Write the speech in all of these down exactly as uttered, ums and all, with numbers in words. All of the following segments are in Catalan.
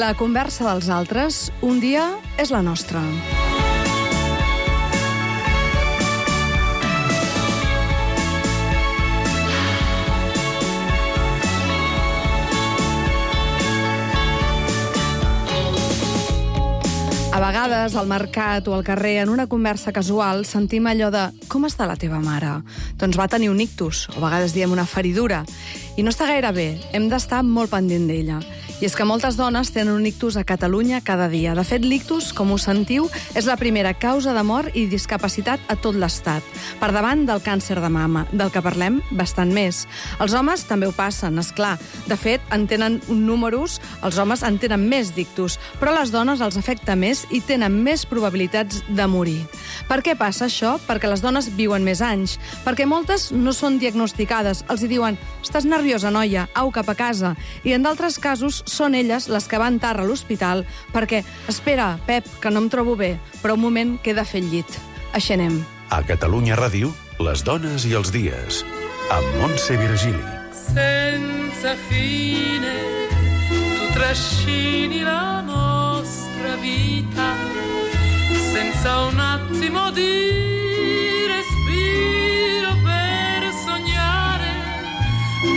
La conversa dels altres, un dia és la nostra. A vegades, al mercat o al carrer, en una conversa casual, sentim allò de «Com està la teva mare?» Doncs va tenir un ictus, o a vegades diem una feridura. I no està gaire bé, hem d'estar molt pendent d'ella. I és que moltes dones tenen un ictus a Catalunya cada dia. De fet, l'ictus, com ho sentiu, és la primera causa de mort i discapacitat a tot l'Estat, per davant del càncer de mama, del que parlem bastant més. Els homes també ho passen, esclar. De fet, en tenen números, els homes en tenen més d'ictus, però a les dones els afecta més i tenen més probabilitats de morir. Per què passa això? Perquè les dones viuen més anys, perquè moltes no són diagnosticades, els hi diuen «Estàs nerviosa, noia, au cap a casa», i en d'altres casos són elles les que van tard a l'hospital perquè «Espera, Pep, que no em trobo bé, però un moment que he de fer el llit». Així anem. A Catalunya Ràdio, les dones i els dies, amb Montse Virgili. Senza fine tu trascini la nostra vita senza un attimo di respiro per sognare,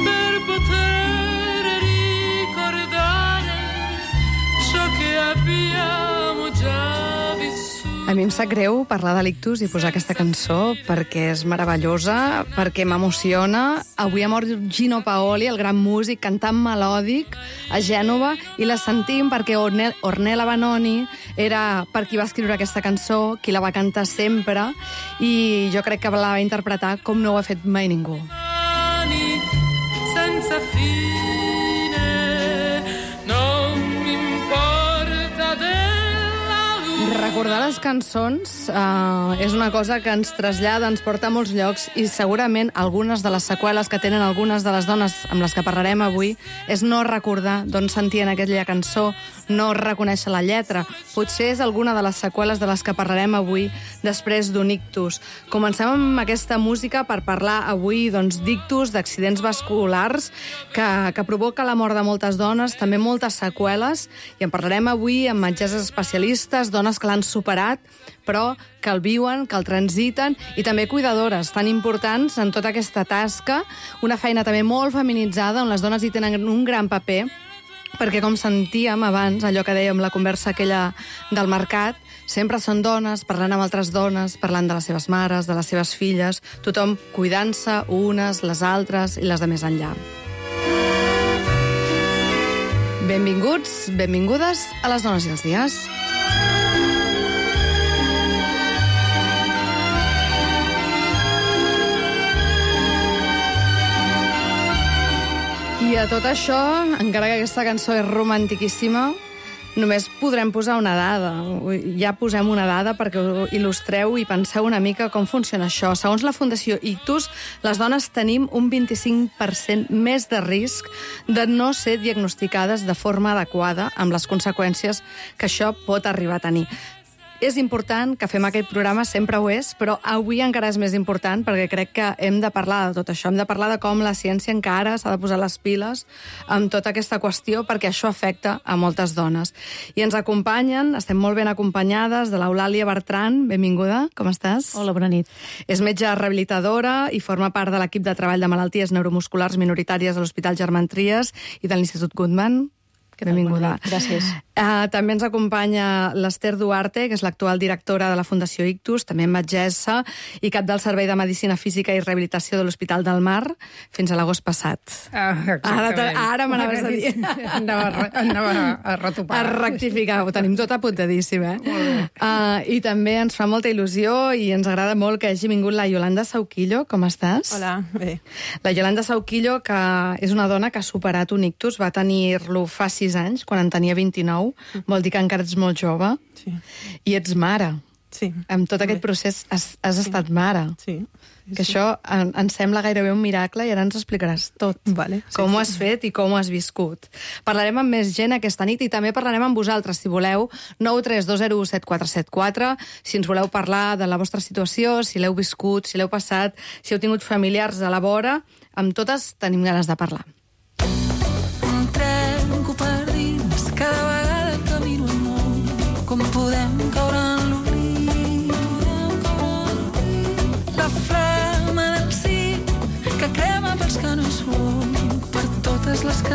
per poter ricordare ciò che abbiamo già vissuto. A mi em sap greu parlar de l'ictus i posar aquesta cançó perquè és meravellosa, perquè m'emociona. Avui ha mort Gino Paoli, el gran músic, cantant melòdic a Gènova, i la sentim perquè Ornella, Ornella Vanoni era per qui va escriure aquesta cançó, qui la va cantar sempre, i jo crec que la va interpretar com no ho ha fet mai ningú. Senza fine, non m'importa della luce. Recordar les cançons uh, és una cosa que ens trasllada, ens porta a molts llocs, i segurament algunes de les seqüeles que tenen algunes de les dones amb les que parlarem avui és no recordar d'on sentien aquella cançó, no reconèixer la lletra. Potser és alguna de les seqüeles de les que parlarem avui després d'un ictus. Comencem amb aquesta música per parlar avui doncs, d'ictus, d'accidents vasculars que, que provoca la mort de moltes dones, també moltes seqüeles, i en parlarem avui amb metges especialistes, dones que l'han superat, però que el viuen, que el transiten, i també cuidadores tan importants en tota aquesta tasca, una feina també molt feminitzada, on les dones hi tenen un gran paper, perquè com sentíem abans, allò que dèiem, la conversa aquella del mercat, sempre són dones, parlant amb altres dones, parlant de les seves mares, de les seves filles, tothom cuidant-se unes, les altres i les de més enllà. Benvinguts, benvingudes a les dones i els dies. I a tot això, encara que aquesta cançó és romantiquíssima, només podrem posar una dada. Ja posem una dada perquè ho il·lustreu i penseu una mica com funciona això. Segons la Fundació Ictus, les dones tenim un vint-i-cinc per cent més de risc de no ser diagnosticades de forma adequada, amb les conseqüències que això pot arribar a tenir. És important que fem aquest programa, sempre ho és, però avui encara és més important perquè crec que hem de parlar de tot això, hem de parlar de com la ciència encara s'ha de posar les piles amb tota aquesta qüestió perquè això afecta a moltes dones. I ens acompanyen, estem molt ben acompanyades, de l'Eulàlia Bertran, benvinguda, com estàs? Hola, bona nit. És metge rehabilitadora i forma part de l'equip de treball de malalties neuromusculars minoritàries de l'Hospital Germán Trias i de l'Institut Guttmann. Benvinguda. Gràcies. Uh, també ens acompanya l'Ester Duarte, que és l'actual directora de la Fundació Ictus, també metgessa i cap del Servei de Medicina Física i Rehabilitació de l'Hospital del Mar fins a l'agost passat. Ah, ara ara m'anaves a dir. Anava, anava a retopar. A rectificar, ho tenim tot apuntadíssim, eh? Uh, I també ens fa molta il·lusió i ens agrada molt que hagi vingut la Yolanda Sauquillo. Com estàs? Hola, bé. La Yolanda Sauquillo, que és una dona que ha superat un ictus, va tenir-lo fa sis anys, quan en tenia vint-i-nou, vol dir que encara ets molt jove, Sí. i ets mare. Sí. Amb tot aquest procés has, has Sí. estat mare. Sí. Sí, Que sí. això en, ens sembla gairebé un miracle i ara ens explicaràs tot. Vale, sí, Com ho sí. has fet i com ho has viscut. Parlarem amb més gent aquesta nit i també parlarem amb vosaltres, si voleu, nou tres dos zero set quatre set quatre, si ens voleu parlar de la vostra situació, si l'heu viscut, si l'heu passat, si heu tingut familiars a la vora, amb totes tenim ganes de parlar. Trenco per dins cada vegada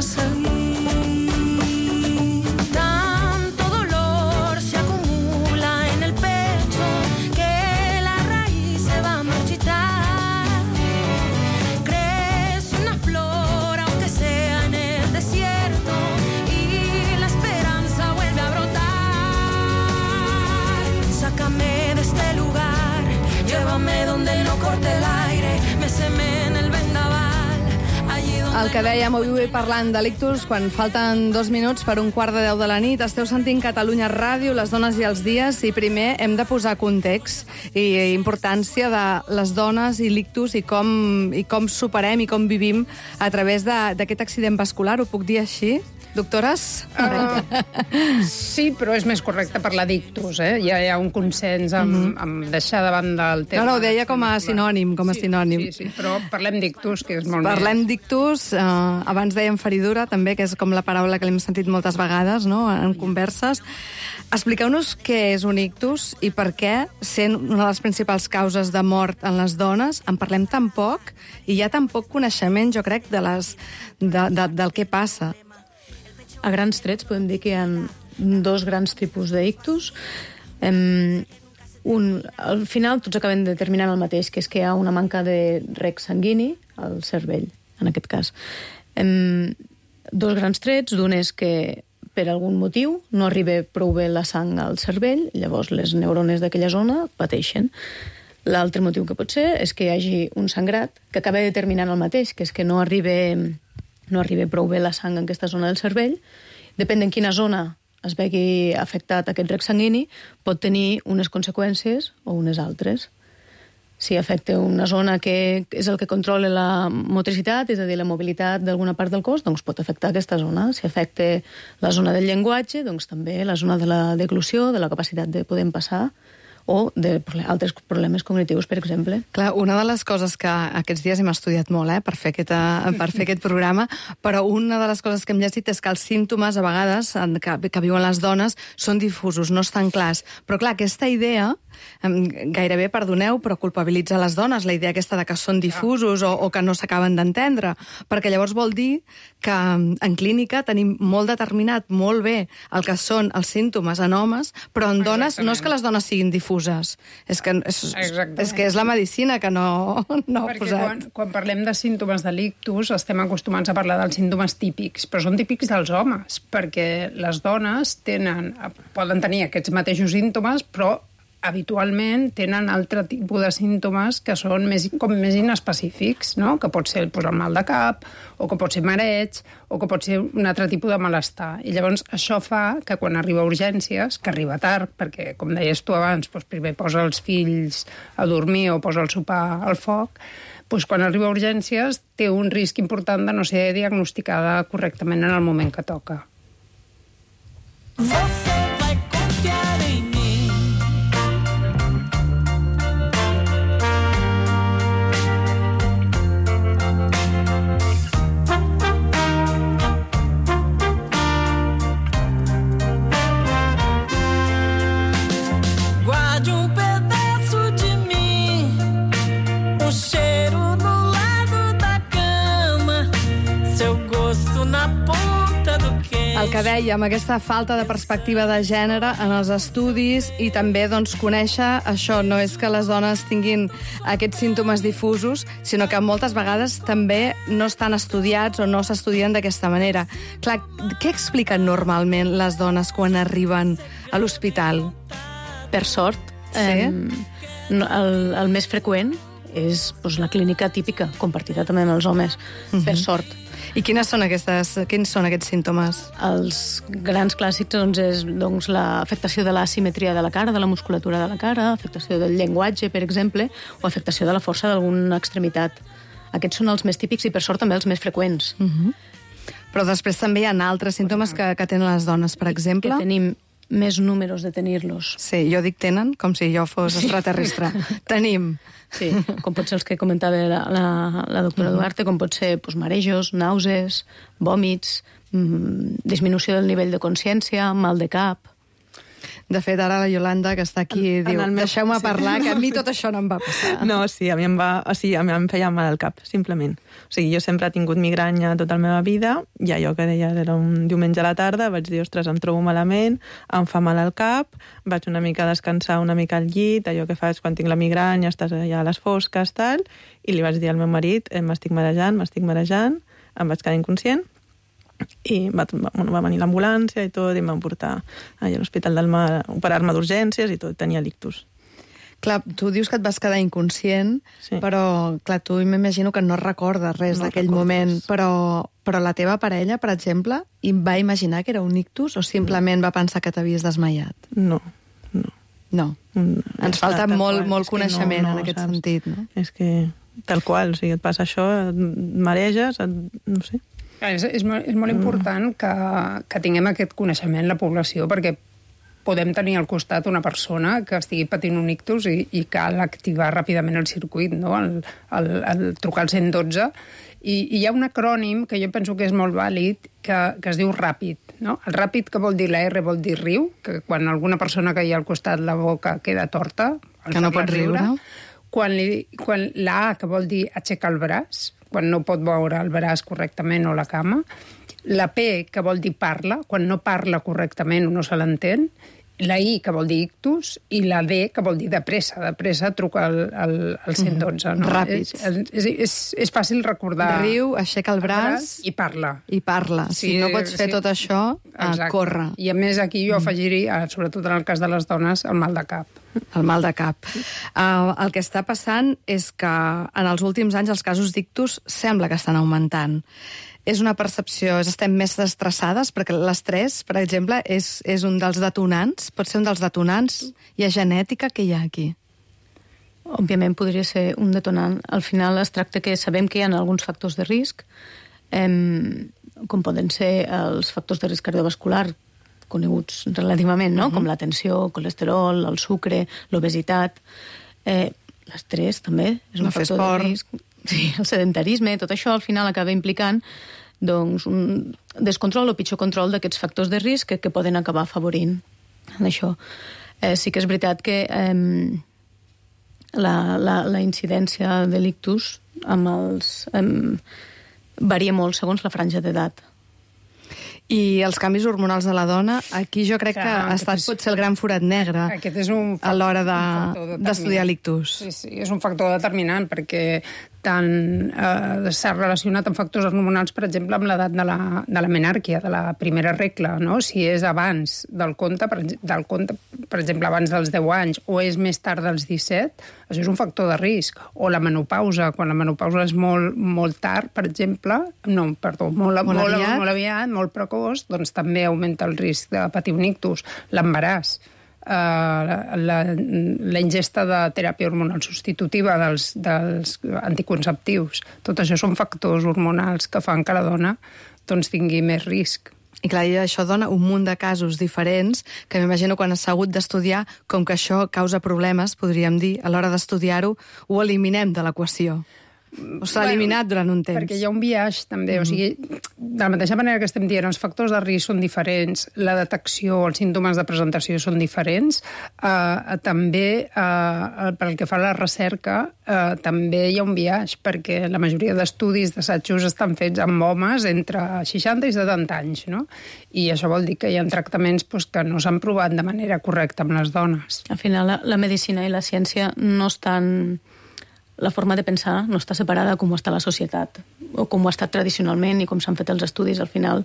salir. Tanto dolor se acumula en el pecho que la raíz se va a marchitar. Crece una flor aunque sea en el desierto y la esperanza vuelve a brotar. Sácame de este lugar, llévame donde no corte el aire, méseme en el vendaval. El que dèiem avui parlant de l'ictus, quan falten dos minuts per un quart de deu de la nit, esteu sentint Catalunya Ràdio, les dones i els dies, i primer hem de posar context i importància de les dones i l'ictus i com, i com superem i com vivim a través d'aquest accident vascular. Ho puc dir així? Doctores? Uh, sí, però és més correcte parlar d'ictus, eh? Ja hi ha un consens amb, uh-huh. amb deixar de banda el tema. No, no, ho deia com a sinònim, com a sí, sinònim. Sí, sí, però parlem d'ictus, que és molt Parlem més... d'ictus, eh, abans dèiem feridura, també, que és com la paraula que l'hem sentit moltes vegades, no?, en converses. Expliqueu-nos què és un ictus i per què, sent una de les principals causes de mort en les dones, en parlem tan poc i hi ha tan poc coneixement, jo crec, de les, de, de, del que passa. A grans trets podem dir que hi ha dos grans tipus d'ictus. Um, un, al final tots acaben determinant el mateix, que és que hi ha una manca de reg sanguini al cervell, en aquest cas. Um, dos grans trets, d'un és que per algun motiu no arriba prou bé la sang al cervell, llavors les neurones d'aquella zona pateixen. L'altre motiu que pot ser és que hi hagi un sangrat que acaba determinant el mateix, que és que no arriba... no arriba prou bé la sang en aquesta zona del cervell. Depèn en quina zona es vegi afectat aquest reg sanguini, pot tenir unes conseqüències o unes altres. Si afecta una zona que és el que controla la motricitat, és a dir, la mobilitat d'alguna part del cos, doncs pot afectar aquesta zona. Si afecta la zona del llenguatge, doncs també la zona de la deglució, de la capacitat de poder passar, o d'altres problemes cognitius, per exemple. Clar, una de les coses que aquests dies hem estudiat molt, eh, per fer, aquesta, per fer aquest programa, però una de les coses que hem llegit és que els símptomes, a vegades, que, que viuen les dones, són difusos, no estan clars. Però clar, aquesta idea, gairebé, perdoneu, però culpabilitza les dones, la idea aquesta de que són difusos o, o que no s'acaben d'entendre, perquè llavors vol dir que en clínica tenim molt determinat, molt bé, el que són els símptomes en homes, però en dones no és que les dones siguin difuses, és que és, és, que és la medicina que no, no ha posat. Quan, quan parlem de símptomes de l'ictus estem acostumats a parlar dels símptomes típics, però són típics dels homes, perquè les dones tenen, poden tenir aquests mateixos símptomes, però habitualment tenen altre tipus de símptomes que són més, com més inespecífics, no? Que pot ser pues, el mal de cap, o que pot ser mareig, o que pot ser un altre tipus de malestar. I llavors això fa que quan arriba a urgències, que arriba tard, perquè, com deies tu abans, pues, primer posa els fills a dormir o posa el sopar al foc, pues, quan arriba a urgències té un risc important de no ser diagnosticada correctament en el moment que toca. Você vai confiar em mim. Guarde um pedaço de mim, um cheiro no lado da cama, seu gosto na ponta do queixo. El que dèiem, aquesta falta de perspectiva de gènere en els estudis i també doncs, conèixer això, no és que les dones tinguin aquests símptomes difusos, sinó que moltes vegades també no estan estudiats o no s'estudien d'aquesta manera. Clar, què expliquen normalment les dones quan arriben a l'hospital? Per sort, Sí? eh, el, el més freqüent és doncs, la clínica típica, compartida també amb els homes, uh-huh. per sort. I quines són aquestes, quins són aquests símptomes? Els grans clàssics doncs, és doncs, l'afectació de l'asimetria de la cara, de la musculatura de la cara, afectació del llenguatge, per exemple, o afectació de la força d'alguna extremitat. Aquests són els més típics i, per sort, també els més freqüents. Uh-huh. Però després també hi ha altres símptomes que, que tenen les dones, per exemple. Que tenim més números de tenir-los. Sí, jo dic tenen, com si jo fos extraterrestre. Tenim. Sí, com pot ser els que comentava la, la, la doctora uh-huh. Duarte, com pot ser doncs, marejos, nàusees, vòmits, mmm, disminució del nivell de consciència, mal de cap. De fet, ara la Iolanda, que està aquí, En- diu, en el meu- deixeu-me sí. parlar, que a mi tot això no em va passar. No, sí, a mi em va... O sigui, a mi em feia mal al cap, simplement. O sigui, jo sempre he tingut migranya tota la meva vida, i allò que deies era un diumenge a la tarda, vaig dir, ostres, em trobo malament, em fa mal al cap, vaig una mica a descansar una mica al llit, allò que faig quan tinc la migranya, estàs allà a les fosques, tal, i li vaig dir al meu marit, eh, m'estic marejant, m'estic marejant, em vaig quedar inconscient, i va, va, bueno, va venir l'ambulància i tot, i em van portar allà a l'Hospital del Mar a operar-me d'urgències i tot, tenia l'ictus. Clar, tu dius que et vas quedar inconscient, Sí. però, clar, tu m'imagino que no recordes res No d'aquell recordo moment, res. però, però la teva parella, per exemple, i va imaginar que era un ictus o simplement va pensar que t'havies desmaiat? No, no. No. Mm, Ens està falta tal molt, qual. molt És que no- coneixement no, en aquest saps? sentit, no? És que tal qual, o sigui, et passa això, et mareges, et, no sé. És, és, molt, és molt important que, que tinguem aquest coneixement la població, perquè podem tenir al costat una persona que estigui patint un ictus i, i cal activar ràpidament el circuit, no? el, el, el trucar al cent dotze. I, I hi ha un acrònim que jo penso que és molt vàlid, que, que es diu RAPID. No? El RAPID, que vol dir la R, vol dir riu, que quan alguna persona que hi ha al costat la boca queda torta, el Que no fa-la pot riure. Quan, li, quan la A, que vol dir aixecar el braç, quan no pot moure el braç correctament o la cama, la P, que vol dir parla, quan no parla correctament o no se l'entén, la I, que vol dir ictus, i la D, que vol dir de pressa. De pressa truca al, al, al cent dotze. No? Ràpid. És, és, és, és fàcil recordar. Riu, aixeca el braç i parla. i parla. Si no pots fer sí. tot això, eh, corre. I a més aquí jo afegiria, sobretot en el cas de les dones, el mal de cap. El mal de cap. Uh, el que està passant és que en els últims anys els casos d'ictus sembla que estan augmentant. És una percepció, és, estem més estressades, perquè l'estrès, per exemple, és, és un dels detonants, pot ser un dels detonants. Hi ha genètica, que hi ha aquí? Òbviament podria ser un detonant. Al final es tracta que sabem que hi ha alguns factors de risc, eh, com poden ser els factors de risc cardiovascular, coneguts relativament, no? Uh-huh. Com la tensió, el colesterol, el sucre, l'obesitat, eh, l'estrès també és un No fer factor esport. de risc. Sí, el sedentarisme, tot això al final acaba implicant doncs, un descontrol o pitjor control d'aquests factors de risc que, que poden acabar afavorint en això. Eh, sí que és veritat que eh, la, la, la incidència de l'ictus amb els, eh, varia molt segons la franja d'edat. I els canvis hormonals de la dona, aquí jo crec Clar, que ha aquest estat és- potser el gran forat negre Aquest és un a l'hora un factor de- determinant. d'estudiar l'ictus. Sí, sí, és un factor determinant perquè tant eh, s'ha relacionat amb factors hormonals, per exemple, amb l'edat de, la, de la menàrquia, de la primera regla, no? Si és abans del compte, per, del compte, per exemple, abans dels deu anys, o és més tard dels disset, això és un factor de risc. O la menopausa, quan la menopausa és molt, molt tard, per exemple, no, perdó, molt, Molt molt, aviat. molt aviat, molt precoç, doncs també augmenta el risc de patir un ictus. L'embaràs, Uh, la, la ingesta de teràpia hormonal substitutiva dels, dels anticonceptius. Tot això són factors hormonals que fan que la dona doncs, tingui més risc. I clar, i això dona un munt de casos diferents que m'imagino quan s'ha hagut d'estudiar, com que això causa problemes, podríem dir, a l'hora d'estudiar-ho, ho eliminem de l'equació. O s'ha eliminat durant un temps. Perquè hi ha un biaix, també. Mm-hmm. O sigui, de la mateixa manera que estem dient, els factors de risc són diferents, la detecció, els símptomes de presentació són diferents, eh, també, eh, pel que fa a la recerca, eh, també hi ha un biaix, perquè la majoria d'estudis, d'assajos, estan fets amb homes entre seixanta i setanta anys, no? I això vol dir que hi ha tractaments doncs, que no s'han provat de manera correcta amb les dones. Al final, la, la medicina i la ciència no estan... La forma de pensar no està separada com ho està la societat, o com ho ha estat tradicionalment i com s'han fet els estudis. Al final,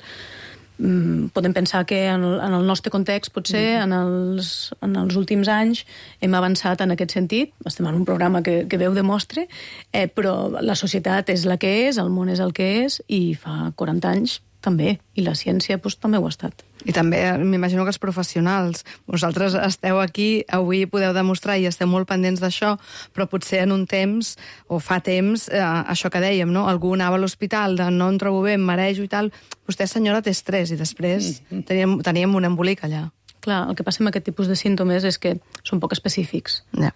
mmm, podem pensar que en el, en el nostre context, potser, en els, en els últims anys, hem avançat en aquest sentit. Estem en un programa que, que Déu demostre, eh, però la societat és la que és, el món és el que és, i fa quaranta anys també, i la ciència doncs, també ho ha estat. I també m'imagino que els professionals, vosaltres esteu aquí, avui podeu demostrar i esteu molt pendents d'això, però potser en un temps, o fa temps, eh, això que dèiem, no? Algú anava a l'hospital de no em trobo bé, em marejo i tal, vostè senyora té estrès i després teníem, teníem un embolic allà. Clar, el que passa amb aquest tipus de símptomes és que són poc específics. Ja.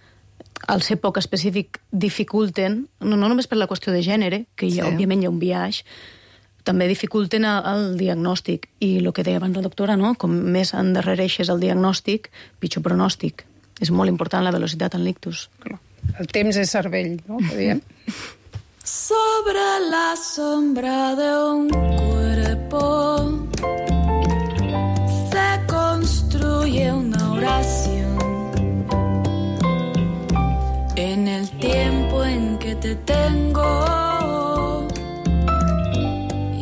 Al ser poc específic dificulten, no, no només per la qüestió de gènere, que hi ha, Sí. òbviament hi ha un biaix, també dificulten el, el diagnòstic. I el que deia abans la doctora, no? Com més endarrereixes el diagnòstic, pitjor pronòstic. És molt important la velocitat en l'ictus. El temps és cervell, no? Que diem. Sobre la sombra de un cuerpo se construye una oración. En el tiempo en que te tengo,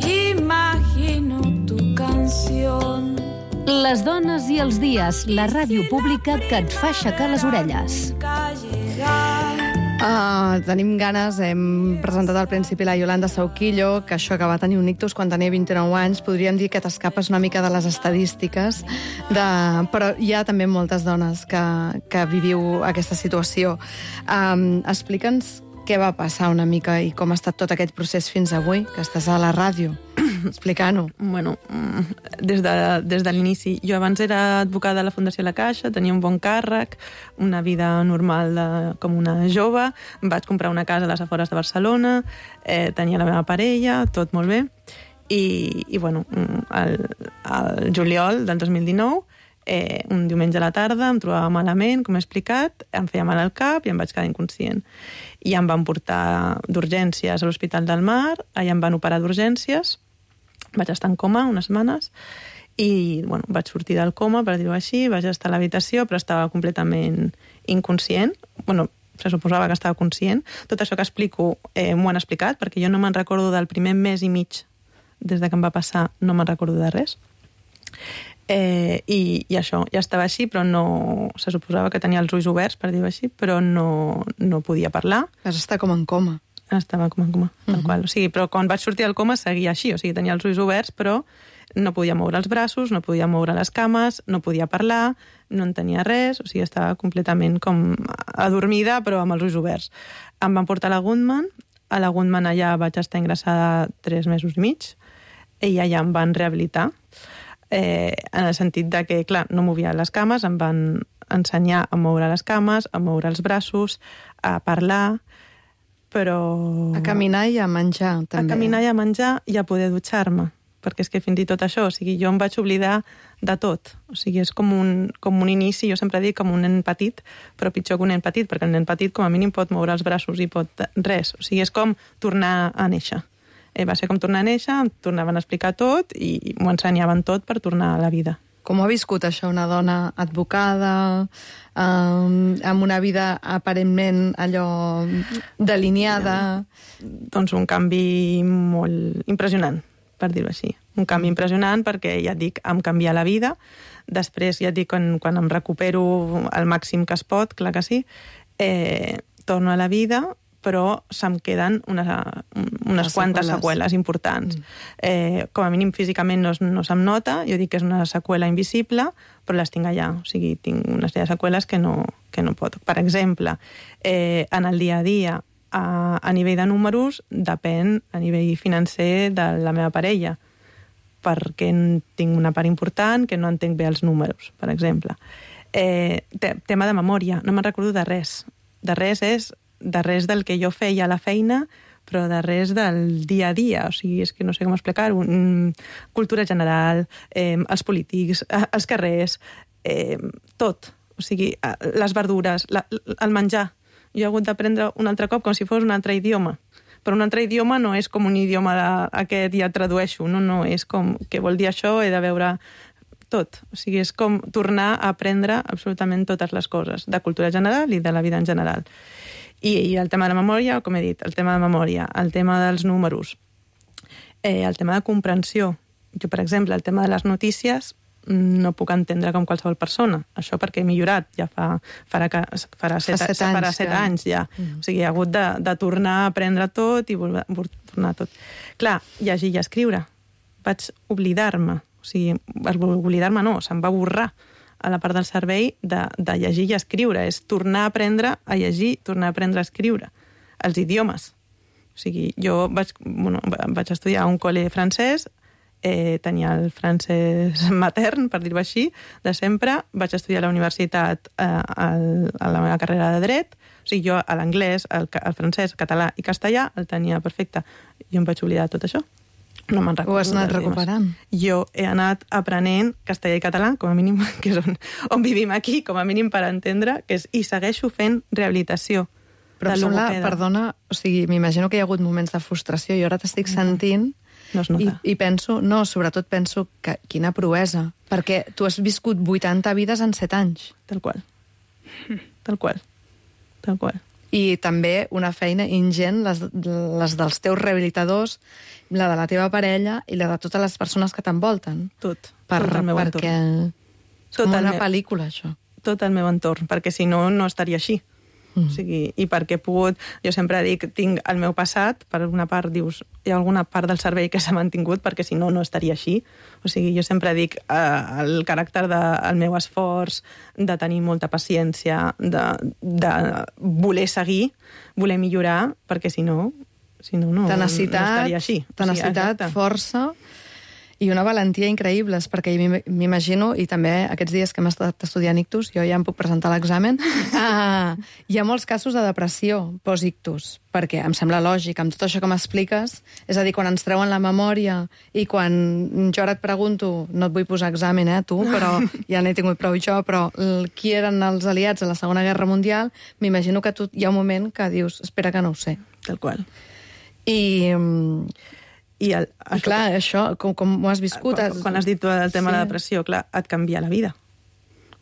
imagino tu canción. Les dones i els dies, la ràdio pública que et fa aixecar les orelles. Uh, tenim ganes, hem presentat al principi la Yolanda Sauquillo, que això que va tenir un ictus quan tenia vint-i-nou anys, podríem dir que t'escapes una mica de les estadístiques, de... però hi ha també moltes dones que, que viviu aquesta situació. Um, Explica'ns què va passar una mica i com ha estat tot aquest procés fins avui, que estàs a la ràdio. Explica-ho. Bueno, des de, des de l'inici. Jo abans era advocada a la Fundació La Caixa, tenia un bon càrrec, una vida normal de, com una jove, vaig comprar una casa a les afores de Barcelona, eh, tenia la meva parella, tot molt bé, i, i bueno, el, el juliol del dos mil dinou, eh, un diumenge a la tarda, em trobava malament, com he explicat, em feia mal al cap i em vaig quedar inconscient. I em van portar d'urgències a l'Hospital del Mar, allà em van operar d'urgències, vaig estar en coma unes setmanes i bueno, vaig sortir del coma, per dir-ho així, vaig estar a l'habitació, però estava completament inconscient. Bueno, se suposava que estava conscient. Tot això que explico eh, m'ho han explicat, perquè jo no me'n recordo del primer mes i mig des de que em va passar, no me'n recordo de res. Eh, i, I això, ja estava així, però no... Se suposava que tenia els ulls oberts, per dir-ho així, però no, no podia parlar. Vas estar com en coma. Estava com en coma, tal uh-huh. qual. O sigui, però quan vaig sortir del coma seguia així, o sigui, tenia els ulls oberts, però no podia moure els braços, no podia moure les cames, no podia parlar, no en tenia res, o sigui, estava completament com adormida, però amb els ulls oberts. Em van portar a la Goodman, a la Goodman allà vaig estar ingressada tres mesos i mig, i allà em van rehabilitar, eh, en el sentit de que, clar, no movia les cames, em van ensenyar a moure les cames, a moure els braços, a parlar, però... A caminar i a menjar, també. A caminar i a menjar i a poder dutxar-me, perquè és que fins i tot això, o sigui, jo em vaig oblidar de tot. O sigui, és com un, com un inici, jo sempre dic com un nen petit, però pitjor que un nen petit, perquè el nen petit com a mínim pot moure els braços i pot res. O sigui, és com tornar a néixer. Eh, va ser com tornar a néixer, em tornaven a explicar tot i m'ho ensenyaven tot per tornar a la vida. Com ha viscut això una dona advocada, um, amb una vida aparentment allò delineada? Doncs un canvi molt impressionant, per dir-ho així. Un canvi impressionant perquè, ja et dic, em canvia la vida. Després, ja et dic, quan, quan em recupero al màxim que es pot, clar que sí, eh, torno a la vida, però se'm queden unes, unes quantes seqüeles importants. Mm. Eh, com a mínim físicament no, no se'm nota, jo dic que és una seqüela invisible, però les tinc allà, o sigui, tinc una sèrie de seqüeles que no, que no pot. Per exemple, eh, en el dia a dia, a, a nivell de números, depèn a nivell financer de la meva parella, perquè tinc una part important que no entenc bé els números, per exemple. Eh, te, tema de memòria, no me'n recordo de res. De res és de res del que jo feia a la feina, però de res del dia a dia. O sigui, és que no sé com explicar-ho. Cultura general, eh, els polítics, els carrers, eh, tot. O sigui, les verdures, la, el menjar. Jo he hagut d'aprendre un altre cop com si fos un altre idioma. Però un altre idioma no és com un idioma d'aquest ja tradueixo. No, no, és com, què vol dir això? He de veure tot. O sigui, és com tornar a aprendre absolutament totes les coses, de cultura general i de la vida en general. I, i el tema de la memòria, com he dit, el tema de memòria, el tema dels números, eh, el tema de comprensió. Jo, per exemple, el tema de les notícies no puc entendre com qualsevol persona. Això perquè he millorat, ja fa, farà, farà, set, fa set anys, farà set ja. anys ja. Mm. O sigui, he hagut de, de tornar a aprendre tot i volver, tornar tot. Clar, llegir i escriure. Vaig oblidar-me. O sigui, oblidar-me no, se'm va borrar a la part del cervell de, de llegir i escriure. És tornar a aprendre a llegir, tornar a aprendre a escriure. Els idiomes. O sigui, jo vaig, bueno, vaig estudiar a un col·le francès, eh, tenia el francès matern, per dir-ho així, de sempre. Vaig estudiar a la universitat eh, al, a la meva carrera de dret. O sigui, jo a l'anglès, el, el francès, català i castellà el tenia perfecte. Jo em vaig oblidar tot això. No me'n recordo. Ho has anat dels idiomes. recuperant? Jo he anat aprenent castellà i català, com a mínim, que és on, on vivim aquí, com a mínim per entendre, que és, i segueixo fent rehabilitació. Però de em sembla, logopeda. perdona, o sigui, m'imagino que hi ha hagut moments de frustració i ara t'estic sentint No es i, nota. i penso, no, sobretot penso que quina proesa, perquè tu has viscut vuitanta vides en set anys. Tal qual. Tal qual. Tal qual. I també una feina ingent, les, les dels teus rehabilitadors, la de la teva parella i la de totes les persones que t'envolten. Tot. Per, tot el meu perquè entorn. és com Tot el una meu- pel·lícula, això. Tot el meu entorn, perquè si no, no estaria així. Mm. O sigui, i perquè he pogut... Jo sempre dic, tinc el meu passat, per una part dius, hi ha alguna part del cervell que s'ha mantingut, perquè si no, no estaria així. O sigui, jo sempre dic eh, el caràcter del meu esforç, de tenir molta paciència, de, de voler seguir, voler millorar, perquè si no, si no, no, no Tenacitat, estaria així. tenacitat, exacte. força i una valentia increïbles, perquè m'im- m'imagino, i també aquests dies que hem estat estudiant ictus, jo ja em puc presentar a l'examen, uh, hi ha molts casos de depressió post-ictus, perquè em sembla lògic, amb tot això que m'expliques, és a dir, quan ens treuen la memòria i quan jo ara et pregunto, no et vull posar examen, eh, tu, però ja n'he tingut prou jo, però el- qui eren els aliats a la Segona Guerra Mundial, m'imagino que tu hi ha un moment que dius, espera que no ho sé. Tal qual. I... mm, I, el, I clar, això, com, com ho has viscut? Quan, quan has dit tu el tema sí. de la depressió, clar, et canvia la vida.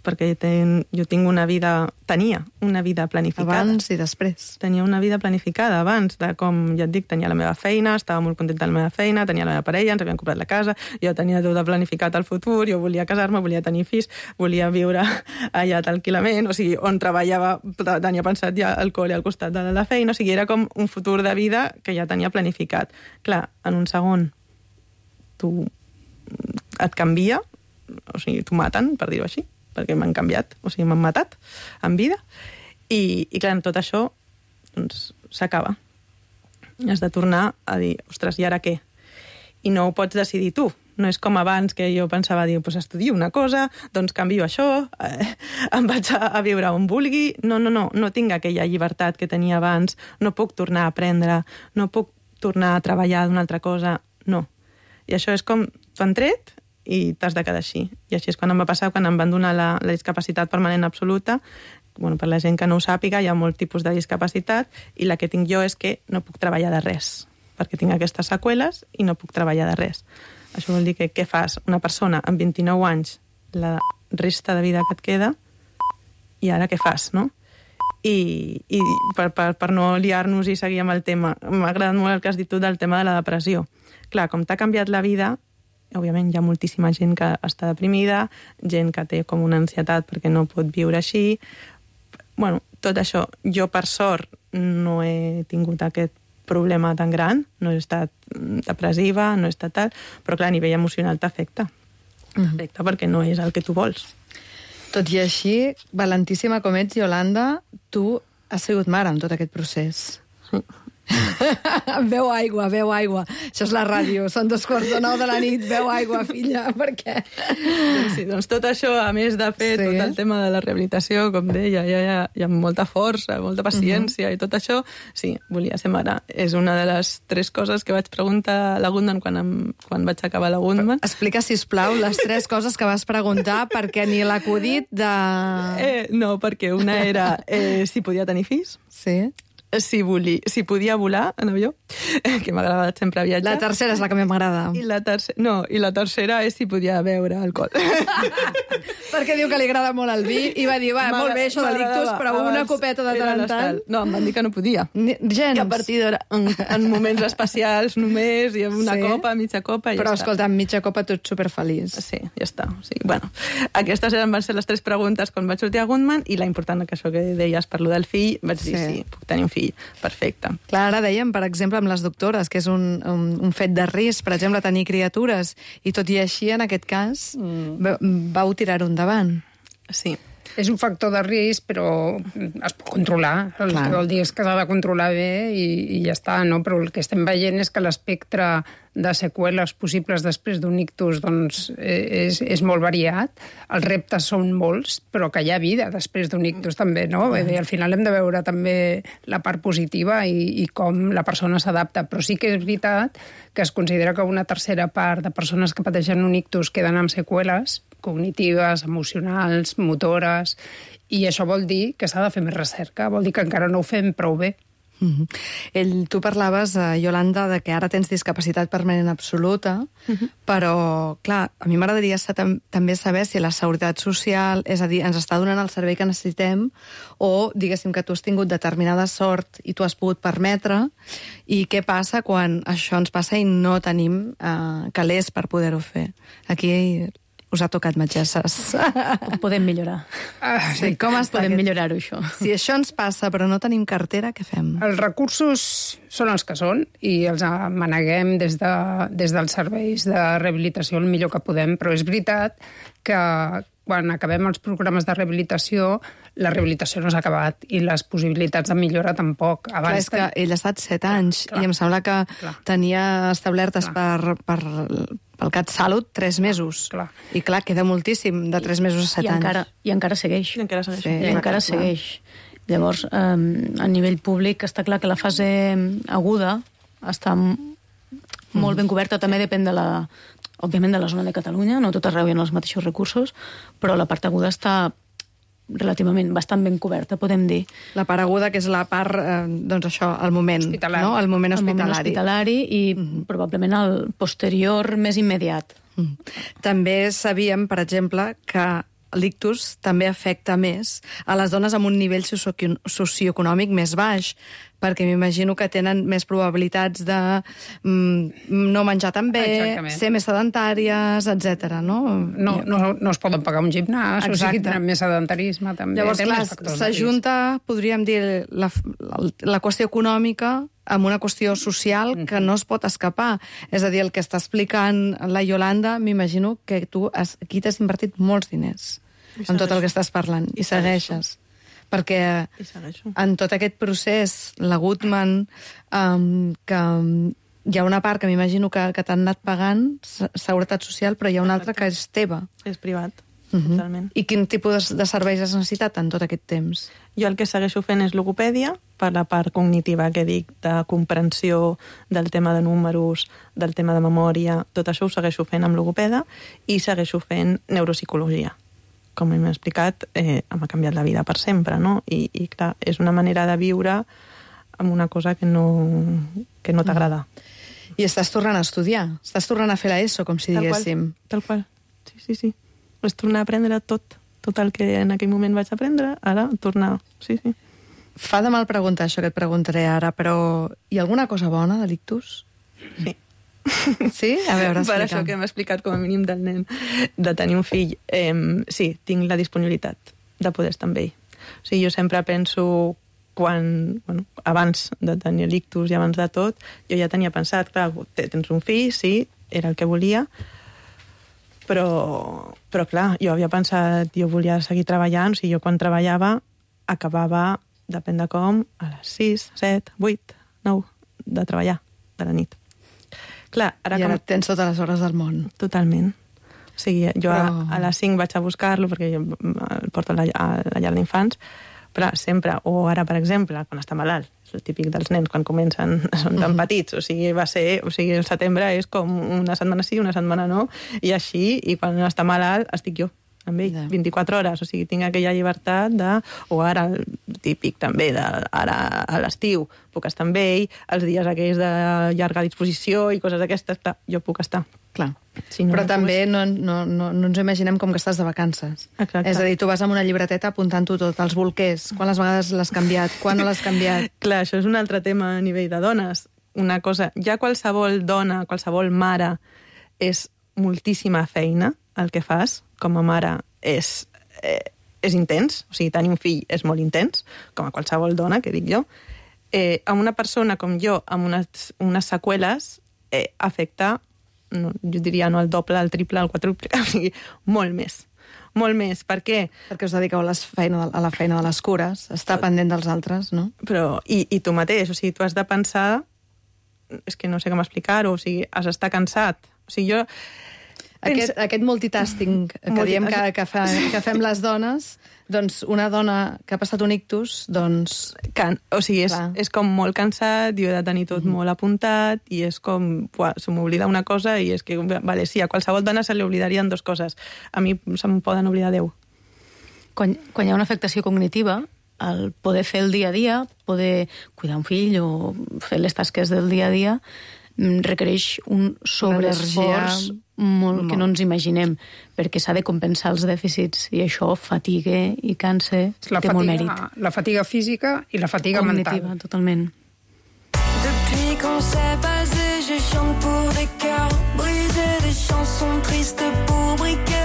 Perquè ten, jo tinc una vida, tenia una vida planificada. Abans i després. Tenia una vida planificada abans, de com ja et dic, tenia la meva feina, estava molt contenta de la meva feina, tenia la meva parella, ens havíem comprat la casa, jo tenia tot planificat al futur, jo volia casar-me, volia tenir fills, volia viure allà tranquil·lament, o sigui, on treballava, tenia pensat ja el col·le al costat de la feina, o sigui, era com un futur de vida que ja tenia planificat. Clar, en un segon tu et canvia, o sigui, t'ho maten, per dir-ho així, perquè m'han canviat, o sigui, m'han matat en vida, i, i clar, tot això doncs s'acaba. Has de tornar a dir, ostres, i ara què? I no ho pots decidir tu. No és com abans que jo pensava, dir, doncs estudio una cosa, doncs canvio això, eh, em vaig a, a viure on vulgui. No, no, no, no tinc aquella llibertat que tenia abans, no puc tornar a aprendre, no puc tornar a treballar d'una altra cosa, no. I això és com, t'ho han tret i t'has de quedar així. I així és quan em va passar, quan em van donar la, la discapacitat permanent absoluta. Bueno, per la gent que no ho sàpiga, hi ha molt tipus de discapacitat i la que tinc jo és que no puc treballar de res, perquè tinc aquestes seqüeles i no puc treballar de res. Això vol dir que què fas? Una persona amb vint-i-nou anys, la resta de vida que et queda, i ara què fas, no? I, i per, per, per no liar-nos i seguir amb el tema, m'ha agradat molt el que has dit tu del tema de la depressió. Clar, com t'ha canviat la vida, òbviament hi ha moltíssima gent que està deprimida, gent que té com una ansietat perquè no pot viure així. Bueno, tot això, jo per sort no he tingut aquest problema tan gran, no he estat depressiva, no he estat tal, però clar, a nivell emocional t'afecta. T'afecta perquè no és el que tu vols. Tot i així, valentíssima com ets, Iolanda, tu has sigut mare en tot aquest procés. Beu aigua, beu aigua. Això és la ràdio, són dos quarts de nou de la nit, beu aigua, filla, perquè... Doncs sí, doncs tot això, a més de fer Sí. tot el tema de la rehabilitació, com deia, hi ha, hi ha molta força, molta paciència uh -huh. i tot això, sí, volia ser mare. És una de les tres coses que vaig preguntar a la Gundman quan, em, quan vaig acabar la Gundman. Explica, sisplau, les tres coses que vas preguntar, perquè ni l'acudit de... Eh, no, perquè una era eh, si podia tenir fills, Sí. si, volia, si podia volar en avió, que m'ha agradat sempre viatjar. La tercera és la que més m'agrada. I la, tercera, no, I la tercera és si podia beure alcohol. Perquè diu que li agrada molt el vi i va dir, va, molt bé això de l'ictus, però una copeta de tant en tant... No, em van dir que no podia. Ni- Gens. I a partir d'ara, en, en moments especials només, i amb una Sí. copa, mitja copa, i Però, ja escolta, amb mitja copa tu ets superfeliç. està. Sí, ja està. O sigui, bueno, aquestes eren, van ser les tres preguntes quan vaig sortir a Gundman, i la important que això que deies per lo del fill, vaig dir, Sí. sí, puc tenir un fill. Perfecte. Clar, ara dèiem, per exemple, amb les doctores, que és un, un, un fet de risc, per exemple, tenir criatures, i tot i així, en aquest cas, mm. vau tirar-ho endavant. Sí. És un factor de risc, però es pot controlar. El Clar. que vol dir és que s'ha de controlar bé i, i ja està, no? Però el que estem veient és que l'espectre de seqüeles possibles després d'un ictus doncs, és, és molt variat. Els reptes són molts, però que hi ha vida després d'un ictus també, no? Vull dir, al final hem de veure també la part positiva i, i com la persona s'adapta. Però sí que és veritat que es considera que una tercera part de persones que pateixen un ictus queden amb seqüeles cognitives, emocionals, motores, i això vol dir que s'ha de fer més recerca, vol dir que encara no ho fem prou bé. Uh-huh. Ell, tu parlaves, eh, Iolanda, de que ara tens discapacitat permanent absoluta, uh-huh. però, clar, a mi m'agradaria tam també saber si la seguretat social, és a dir, ens està donant el servei que necessitem, o, diguéssim, que tu has tingut determinada sort i tu has pogut permetre, i què passa quan això ens passa i no tenim eh, calés per poder-ho fer. Aquí us ha tocat, metgesses. Podem millorar. Ah, sí, com està Podem aquest... millorar-ho, això. Si això ens passa però no tenim cartera, què fem? Els recursos són els que són i els maneguem des, de, des dels serveis de rehabilitació el millor que podem, però és veritat que quan acabem els programes de rehabilitació, la rehabilitació no s'ha acabat i les possibilitats de millora tampoc. Abans clar, és que ell ha estat set anys clar, i em sembla que clar. tenia establertes clar. per... per pel CatSalut, tres mesos. Clar. I clar, queda moltíssim de tres mesos a set I anys. Encara, I encara segueix. I encara segueix. Sí, I encara segueix. Llavors, eh, a nivell públic està clar que la fase aguda està molt ben coberta. També depèn de la, òbviament, de la zona de Catalunya. No tot arreu hi ha els mateixos recursos, però la part aguda està relativament bastant ben coberta, podem dir. La part aguda, que és la part, eh, doncs això, el moment hospitalari, no? el moment hospitalari. El moment hospitalari i mm. probablement el posterior més immediat. Mm. També sabíem, per exemple, que l'ictus també afecta més a les dones amb un nivell socioeconòmic més baix, perquè m'imagino que tenen més probabilitats de mm, no menjar tan bé, exactament. Ser més sedentàries, etcètera. No? No, no, no es poden pagar un gimnàs, exacte. O sigui, tenen més sedentarisme també. Llavors, clar, s'ajunta, podríem dir, la, la, la qüestió econòmica amb una qüestió social que no es pot escapar. És a dir, el que està explicant la Iolanda, m'imagino que tu has, aquí t'has invertit molts diners en tot el que estàs parlant, i segueixes. Perquè en tot aquest procés, la Goodman, um, que hi ha una part que m'imagino que, que t'han anat pagant, seguretat social, però hi ha una altra que és teva. És privat, uh-huh. totalment. I quin tipus de serveis has necessitat en tot aquest temps? Jo el que segueixo fent és logopèdia, per la part cognitiva que dic, de comprensió del tema de números, del tema de memòria, tot això ho segueixo fent amb logopeda, i segueixo fent neuropsicologia. Com hem explicat, eh, m'ha canviat la vida per sempre, no? I, i clar, és una manera de viure amb una cosa que no, que no t'agrada. I estàs tornant a estudiar, estàs tornant a fer l'ESO, com si tal diguéssim. Qual, tal qual, sí, sí, sí. És tornar a aprendre tot, tot el que en aquell moment vaig aprendre, ara tornar, sí, sí. Fa de mal preguntar això que et preguntaré ara, però hi ha alguna cosa bona de l'ictus? Sí. Sí? A veure, per això que hem explicat com a mínim del nen de tenir un fill, eh, sí, tinc la disponibilitat de poder estar amb ell. O sigui, jo sempre penso quan, bueno, abans de tenir l'ictus i abans de tot, jo ja tenia pensat, clar, tens un fill, sí, era el que volia, però, però clar, jo havia pensat, jo volia seguir treballant, o sigui, jo quan treballava acabava, depèn de com, a les sis, set, vuit, nou de treballar, de la nit. Clar, ara I ara com... tens totes les hores del món. Totalment. O sigui, jo però... a, a les cinc vaig a buscar-lo perquè jo el porto a la, a la llar d'infants, però sempre, o ara, per exemple, quan està malalt, és el típic dels nens quan comencen, són tan petits, o sigui, va ser, o sigui, el setembre és com una setmana sí, una setmana no, i així, i quan està malalt estic jo amb ell, yeah. vint-i-quatre hores, o sigui, tinc aquella llibertat de, o ara el típic també, de, ara a l'estiu puc estar amb ell, els dies aquells de llarga disposició i coses d'aquestes, jo puc estar. Clar. Si no, però no també pogués... no, no, no, no ens imaginem com que estàs de vacances. Exacte. És a dir, tu vas amb una llibreteta apuntant-ho tot, els bolquers, quantes vegades l'has canviat, quan no l'has canviat. Clar, això és un altre tema a nivell de dones. Una cosa, ja qualsevol dona, qualsevol mare, és moltíssima feina el que fas com a mare, és, eh, és intens, o sigui, tenir un fill és molt intens, com a qualsevol dona, que dic jo. Eh, amb una persona com jo, amb unes, unes seqüeles, eh, afecta, no, jo diria no el doble, el triple, el quadruple, o sigui, molt més. Molt més. Per què? Perquè us dediqueu a, les feina, a la feina de les cures, estar pendent dels altres, no? Però, i, i tu mateix, o sigui, tu has de pensar és que no sé com explicar-ho, o sigui, has d'estar cansat. O sigui, jo... Aquest, aquest multitasking que diem que, que, fa, que fem les dones, doncs una dona que ha passat un ictus, doncs... Can, o sigui, és, és com molt cansat, jo he de tenir tot mm-hmm. molt apuntat, i és com, buah, se m'oblida una cosa, i és que, vale, sí, a qualsevol dona se li oblidarien dues coses. A mi se'm poden oblidar deu. Quan, quan hi ha una afectació cognitiva, el poder fer el dia a dia, poder cuidar un fill o fer les tasques del dia a dia, requereix un sobreesforç molt, molt que no ens imaginem, perquè s'ha de compensar els dèficits, i això fatiga i cansa, la té fatiga, molt mèrit. La fatiga física i la fatiga cognitiva, mental. Totalment. Depuis qu'on s'est basé, je chante pour des cœurs brisés, des chansons tristes pour briquer.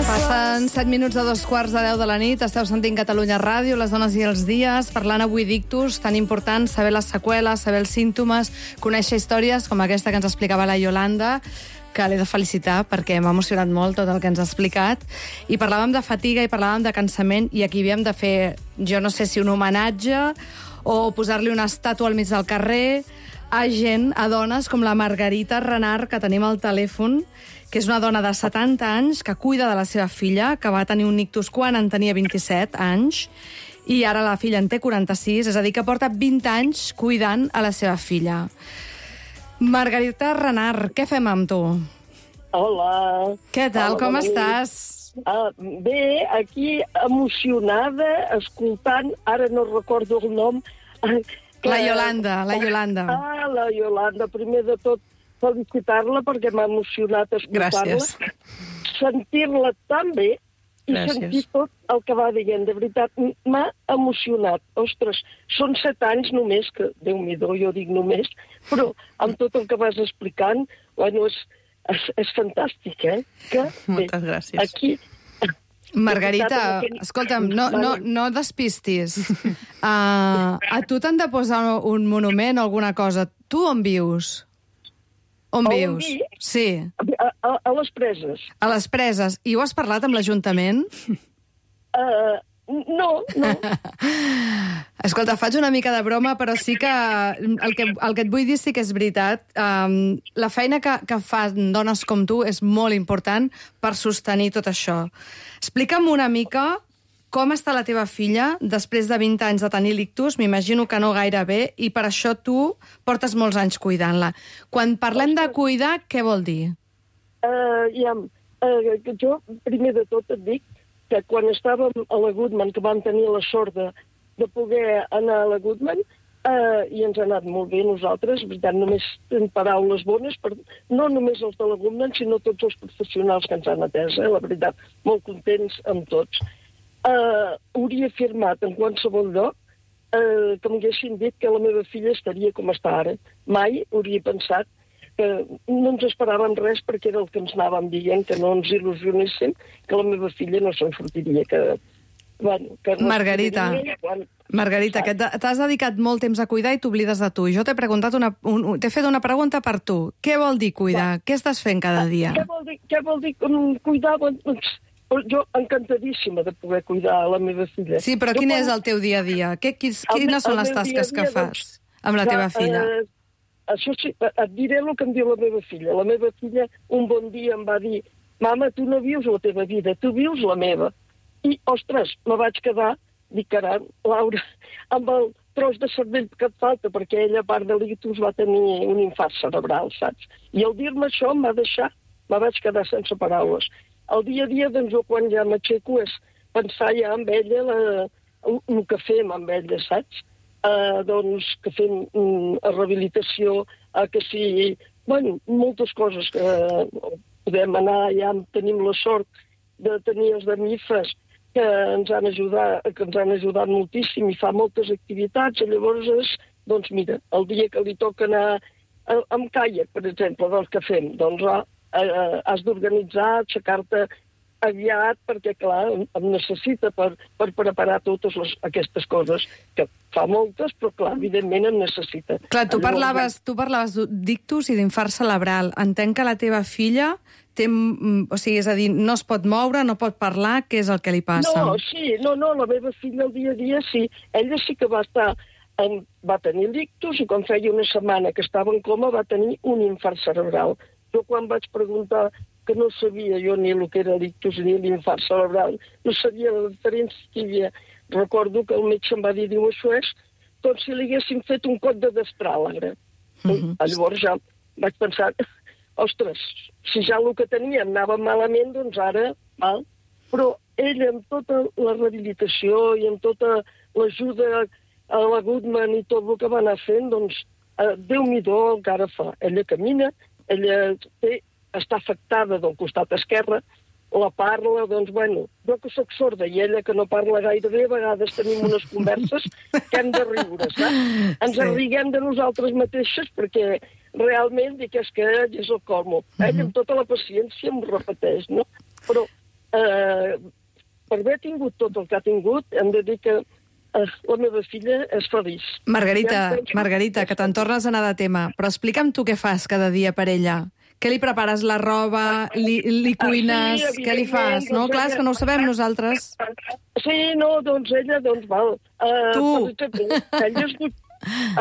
Passen set minuts de dos quarts de deu de la nit, esteu sentint Catalunya Ràdio, les dones i els dies, parlant avui d'ictus, tan important saber les seqüeles, saber els símptomes, conèixer històries com aquesta que ens explicava la Iolanda, que l'he de felicitar perquè m'ha emocionat molt tot el que ens ha explicat, i parlàvem de fatiga i parlàvem de cansament, i aquí havíem de fer, jo no sé si un homenatge o posar-li una estàtua al mig del carrer a gent, a dones com la Margarita Renart, que tenim al telèfon, que és una dona de setanta anys que cuida de la seva filla, que va tenir un ictus quan en tenia vint-i-set anys, i ara la filla en té quaranta-sis, és a dir, que porta vint anys cuidant a la seva filla. Margarita Renart, què fem amb tu? Hola. Què tal, Hola, com bona estàs? Ah, bé, aquí emocionada, escoltant, ara no recordo el nom... Que... La Iolanda, la Iolanda. Ah, la Iolanda, primer de tot, felicitar-la perquè m'ha emocionat escoltar-la. Gràcies. Sentir-la tan bé i Gràcies. sentir tot el que va dient. De veritat, m'ha emocionat. Ostres, són set anys només, que Déu-n'hi-do, jo dic només, però amb tot el que vas explicant, bueno, és, és, és fantàstic, eh? Que, Moltes bé, gràcies. Aquí... Margarita, escolta'm, no, no, no despistis. Uh, a tu t'han de posar un monument o alguna cosa. Tu on vius? On, On vius? vic? Sí. A, a, a les preses. A les preses. I ho has parlat amb l'Ajuntament? Uh, no, no. Escolta, faig una mica de broma, però sí que el que, el que et vull dir sí que és veritat. Um, la feina que, que fan dones com tu és molt important per sostenir tot això. Explica'm una mica com està la teva filla després de vint anys de tenir l'ictus. M'imagino que no gaire bé, i per això tu portes molts anys cuidant-la. Quan parlem de cuidar, què vol dir? Uh, ja, uh, jo, primer de tot, et dic que quan estàvem a la Goodman, que vam tenir la sort de, de poder anar a la Goodman, uh, i ens ha anat molt bé nosaltres, veritat, només en paraules bones, per, no només els de la Goodman, sinó tots els professionals que ens han atès, eh, la veritat, molt contents amb tots. Uh, hauria afirmat en qualsevol lloc uh, que m'haguessin dit que la meva filla estaria com està ara. Mai hauria pensat que no ens esperàvem res, perquè era el que ens anàvem dient, que no ens il·lusionéssim, que la meva filla no se'n sortiria, que... Bueno, que Margarita, quan... Margarita, que t'has dedicat molt temps a cuidar i t'oblides de tu. Jo t'he preguntat una, un, t'he fet una pregunta per tu. Què vol dir cuidar? Va. Què estàs fent cada dia? Què vol dir, què vol dir cuidar? Doncs, jo encantadíssima de poder cuidar la meva filla. Sí, però quin és el teu dia a dia? Que, quines el, quines són les tasques dia dia, que fas doncs, amb la teva filla? Eh, això sí, et diré el que em diu la meva filla. La meva filla un bon dia em va dir: mama, tu no vius la teva vida, tu vius la meva. I, ostres, me vaig quedar, dic, caram, Laura, amb el tros de cervell que et falta, perquè ella, a part de l'ictus, va tenir un infart cerebral, saps? I al dir-me això em va deixar, me vaig quedar sense paraules. El dia a dia, doncs, jo quan ja m'aixeco és pensar ja amb ella la, el, el que fem amb ella, saps? Uh, doncs que fem um, rehabilitació, uh, que sí, bueno, moltes coses que uh, podem anar, ja tenim la sort de tenir els de M I F E S que ens han ajudat, que ens han ajudat moltíssim i fa moltes activitats, i llavors és, doncs mira, el dia que li toca anar a, amb caiac, per exemple, del que fem, doncs ah, eh, has d'organitzar, aixecar-te aviat, perquè, clar, em necessita per, per preparar totes les, aquestes coses, que fa moltes, però, clar, evidentment em necessita. Clar, tu parlaves, tu parlaves d'ictus i d'infart cerebral. Entenc que la teva filla té, o sigui, és a dir, no es pot moure, no pot parlar, què és el que li passa? No, sí, no, no, la meva filla el dia a dia sí. Ella sí que va estar em va tenir l'ictus i quan feia una setmana que estava en coma va tenir un infart cerebral. Jo quan vaig preguntar, que no sabia jo ni el que era l'ictus ni l'infart cerebral, no sabia la diferència que hi havia. Recordo que el metge em va dir, diu, això és com si li haguessin fet un cot de destràlegre. Mm-hmm. Llavors ja vaig pensar, ostres, si ja el que tenia anava malament, doncs ara, val. Però ella, amb tota la rehabilitació i amb tota l'ajuda a la Goodman i tot el que va anar fent, doncs, eh, Déu-n'hi-do el que ara fa. Ella camina, ella té, està afectada del costat esquerre, la parla, doncs, bueno, jo que sóc sorda i ella que no parla gaire bé, a vegades tenim unes converses que hem de riure, saps? Ens sí. Arriguem de nosaltres mateixes perquè realment dic, és que ell és el colmo. Mm-hmm. Ell amb tota la paciència em repeteix, no? Però eh, per haver tingut tot el que ha tingut, hem de dir que eh, la meva filla és feliç. Margarita, ja Margarita, que te'n tornes a anar de tema, però explica'm tu què fas cada dia per ella. Què li prepares, la roba, li, li cuines, ah, sí, què li fas? No? Clar, és que no ho sabem nosaltres. Sí, no, doncs ella, doncs val. Uh, tu! Exemple, ella es, du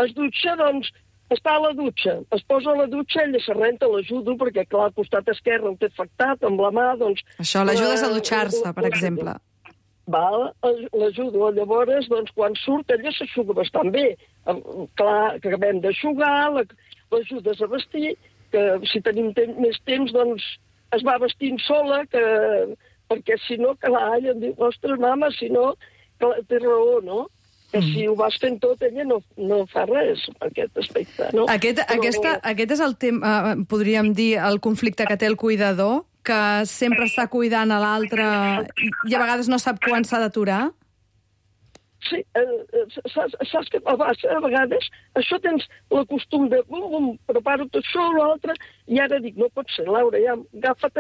es dutxa, doncs, està a la dutxa, es posa a la dutxa, ella se renta, l'ajudo, perquè clar, al costat esquerre el té afectat, amb la mà, doncs... Això, l'ajudes a dutxar-se, per exemple. Val, l'ajudo. Llavors, doncs, quan surt, ella s'aixuga bastant bé. Clar, que acabem d'aixugar, l'ajudes a vestir, que si tenim temps, més temps, doncs es va vestint sola, que, perquè si no, clar, ella em diu, ostres, mama, si no, clar, té raó, no? Que mm. si ho vas fent tot, ella no, no fa res per aquest aspecte, no? Aquest, Però... aquesta, aquest és el tema, uh, podríem dir, el conflicte que té el cuidador, que sempre està cuidant a l'altre i a vegades no sap quan s'ha d'aturar? Sí, eh, saps, saps que a vegades això tens el costum de bum, bum, preparo tot això o l'altre, i ara dic, no pot ser, Laura, ja agafa't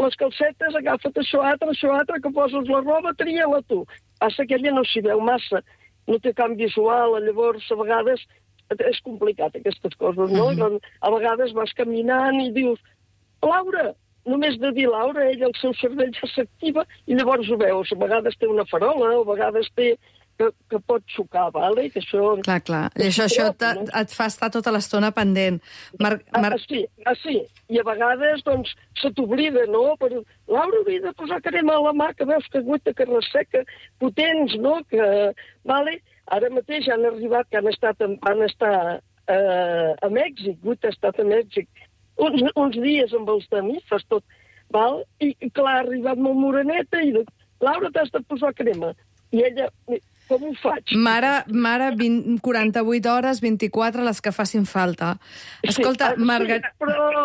les calcetes, agafa't això altre, això altre, que poses la roba, tria-la tu. Passa que ella no s'hi veu massa, no té camp visual, llavors a vegades és complicat aquestes coses, no? Mm-hmm. A vegades vas caminant i dius, Laura, només de dir Laura, ella el seu cervell ja s'activa i llavors ho veus. A vegades té una farola, o a vegades té... Que, que pot xocar, vale? Que això... Clar, clar. I això, això et, et fa estar tota l'estona pendent. Mar... Mar... Ah, sí, ah, sí. I a vegades, doncs, se t'oblida, no? Però, Laura, hauria de posar crema a la mà, que veus que guita, que resseca, potents, no? Que, vale? Ara mateix han arribat, que han estat, han estat eh, a Mèxic, guita ha estat a Mèxic, uns, uns dies amb els damifes, tot, val? I, clar, ha arribat molt moreneta i dic, Laura, t'has de posar crema. I ella... Com ho faig? Mare, mare vint, quaranta-vuit hores, vint-i-quatre, les que facin falta. Escolta, sí, Margarita... Sí, però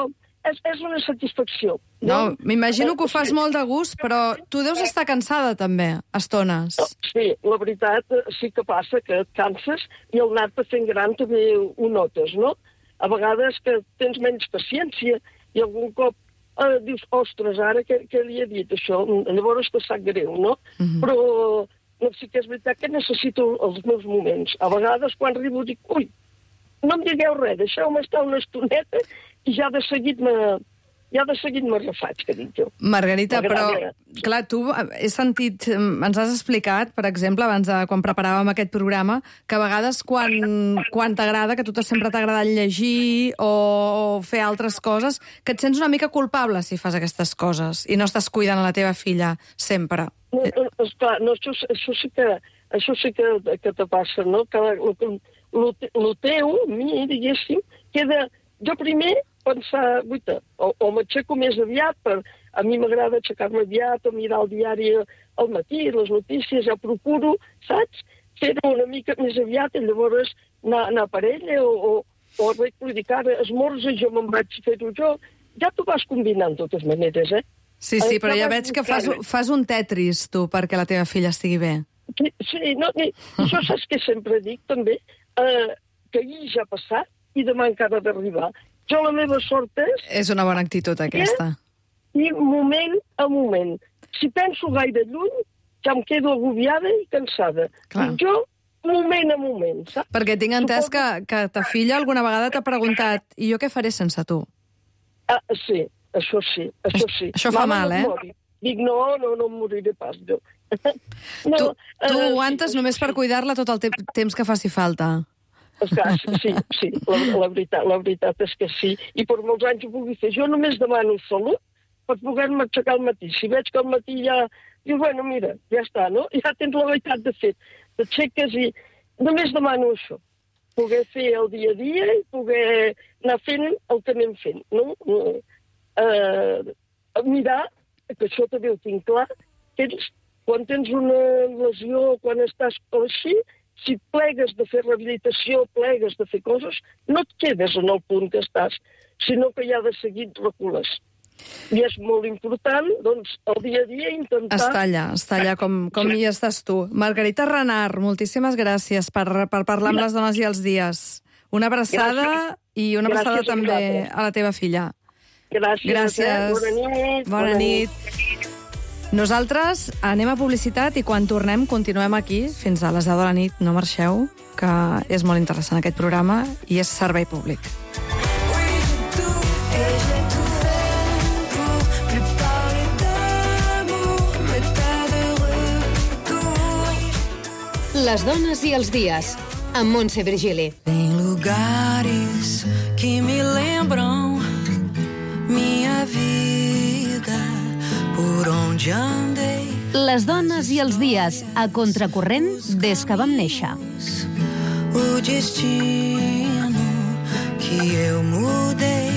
és, és una satisfacció. No, no m'imagino que ho fas molt de gust, però tu deus estar cansada també, a estones. Sí, la veritat sí que passa, que et canses i el anar-te fent gran també ho notes, no? A vegades que tens menys paciència i algun cop eh, dius, ostres, ara què, què li he dit això? Llavors te sap greu, no? Mm-hmm. Però... No, sí que és veritat que necessito els meus moments. A vegades, quan arribo, dic, ui, no em digueu res, deixeu-me estar una estoneta i ja de seguit me, ja de seguit me refaig, que dic jo. Margarita, però, clar, tu he sentit, ens has explicat, per exemple, abans de quan preparàvem aquest programa, que a vegades quan, quan t'agrada, que a tu sempre t'ha agradat llegir o fer altres coses, que et sents una mica culpable si fas aquestes coses i no estàs cuidant a la teva filla sempre. No, esclar, no, això, això sí que, això sí que, que te passa, no? Que el teu, a mi, diguéssim, queda... Jo primer pensar, guita, o, o m'aixeco més aviat, per, a mi m'agrada aixecar-me aviat, o mirar el diari al matí, les notícies, ja procuro, saps? Fer-ho una mica més aviat i llavors anar, anar per ella, o, o, o vull dir que ara esmorza, jo me'n vaig fer-ho jo. Ja t'ho vas combinant, de totes maneres, eh? Sí, sí, però ja veig que fas, fas un Tetris, tu, perquè la teva filla estigui bé. Sí, sí, no, i, això saps que sempre dic, també, eh, que ahir ja ha passat i demà encara ha d'arribar. Jo la meva sort és... És una bona actitud, aquesta. I moment a moment. Si penso gaire lluny, ja em quedo agobiada i cansada. Clar. I jo, moment a moment, saps? Perquè tinc entès que, que ta filla alguna vegada t'ha preguntat i jo què faré sense tu? Ah, sí. Això sí, això sí. Això fa Mama, mal, eh? No Dic, no, no, no em moriré pas, jo. No, tu tu uh, aguantes sí, només per cuidar-la tot el te temps que faci falta. Esclar, sí, sí, la, la, veritat, la veritat és que sí. I per molts anys ho pugui fer. Jo només demano salut per poder-me aixecar al matí. Si veig que al matí ja... Diu, bueno, mira, ja està, no? Ja tens la meitat de fet. T'aixeques i... Només demano això. Poder fer el dia a dia i poder anar fent el que anem fent, no? Eh, mirar, que això també ho tinc clar, tens, quan tens una lesió, quan estàs així, si plegues de fer rehabilitació, plegues de fer coses, no et quedes en el punt que estàs, sinó que ja de seguit recules. I és molt important, doncs, el dia a dia intentar... Està allà, està allà com, com hi estàs tu. Margarita Renart, moltíssimes gràcies per, per parlar amb les dones i els dies. Una abraçada gràcies. I una abraçada gràcies també a, a la teva filla. Gràcies. Gràcies. Eh? Bona nit. Bona, Bona nit. nit. Nosaltres anem a publicitat i quan tornem continuem aquí fins a les deu de la nit. No marxeu, que és molt interessant aquest programa i és servei públic. Les dones i els dies, amb Montse Virgili. Tem lugares que me lembram minha vida, por onde andei. Les dones i els dies, a contracorrent des que vam néixer. O destino que eu mudei,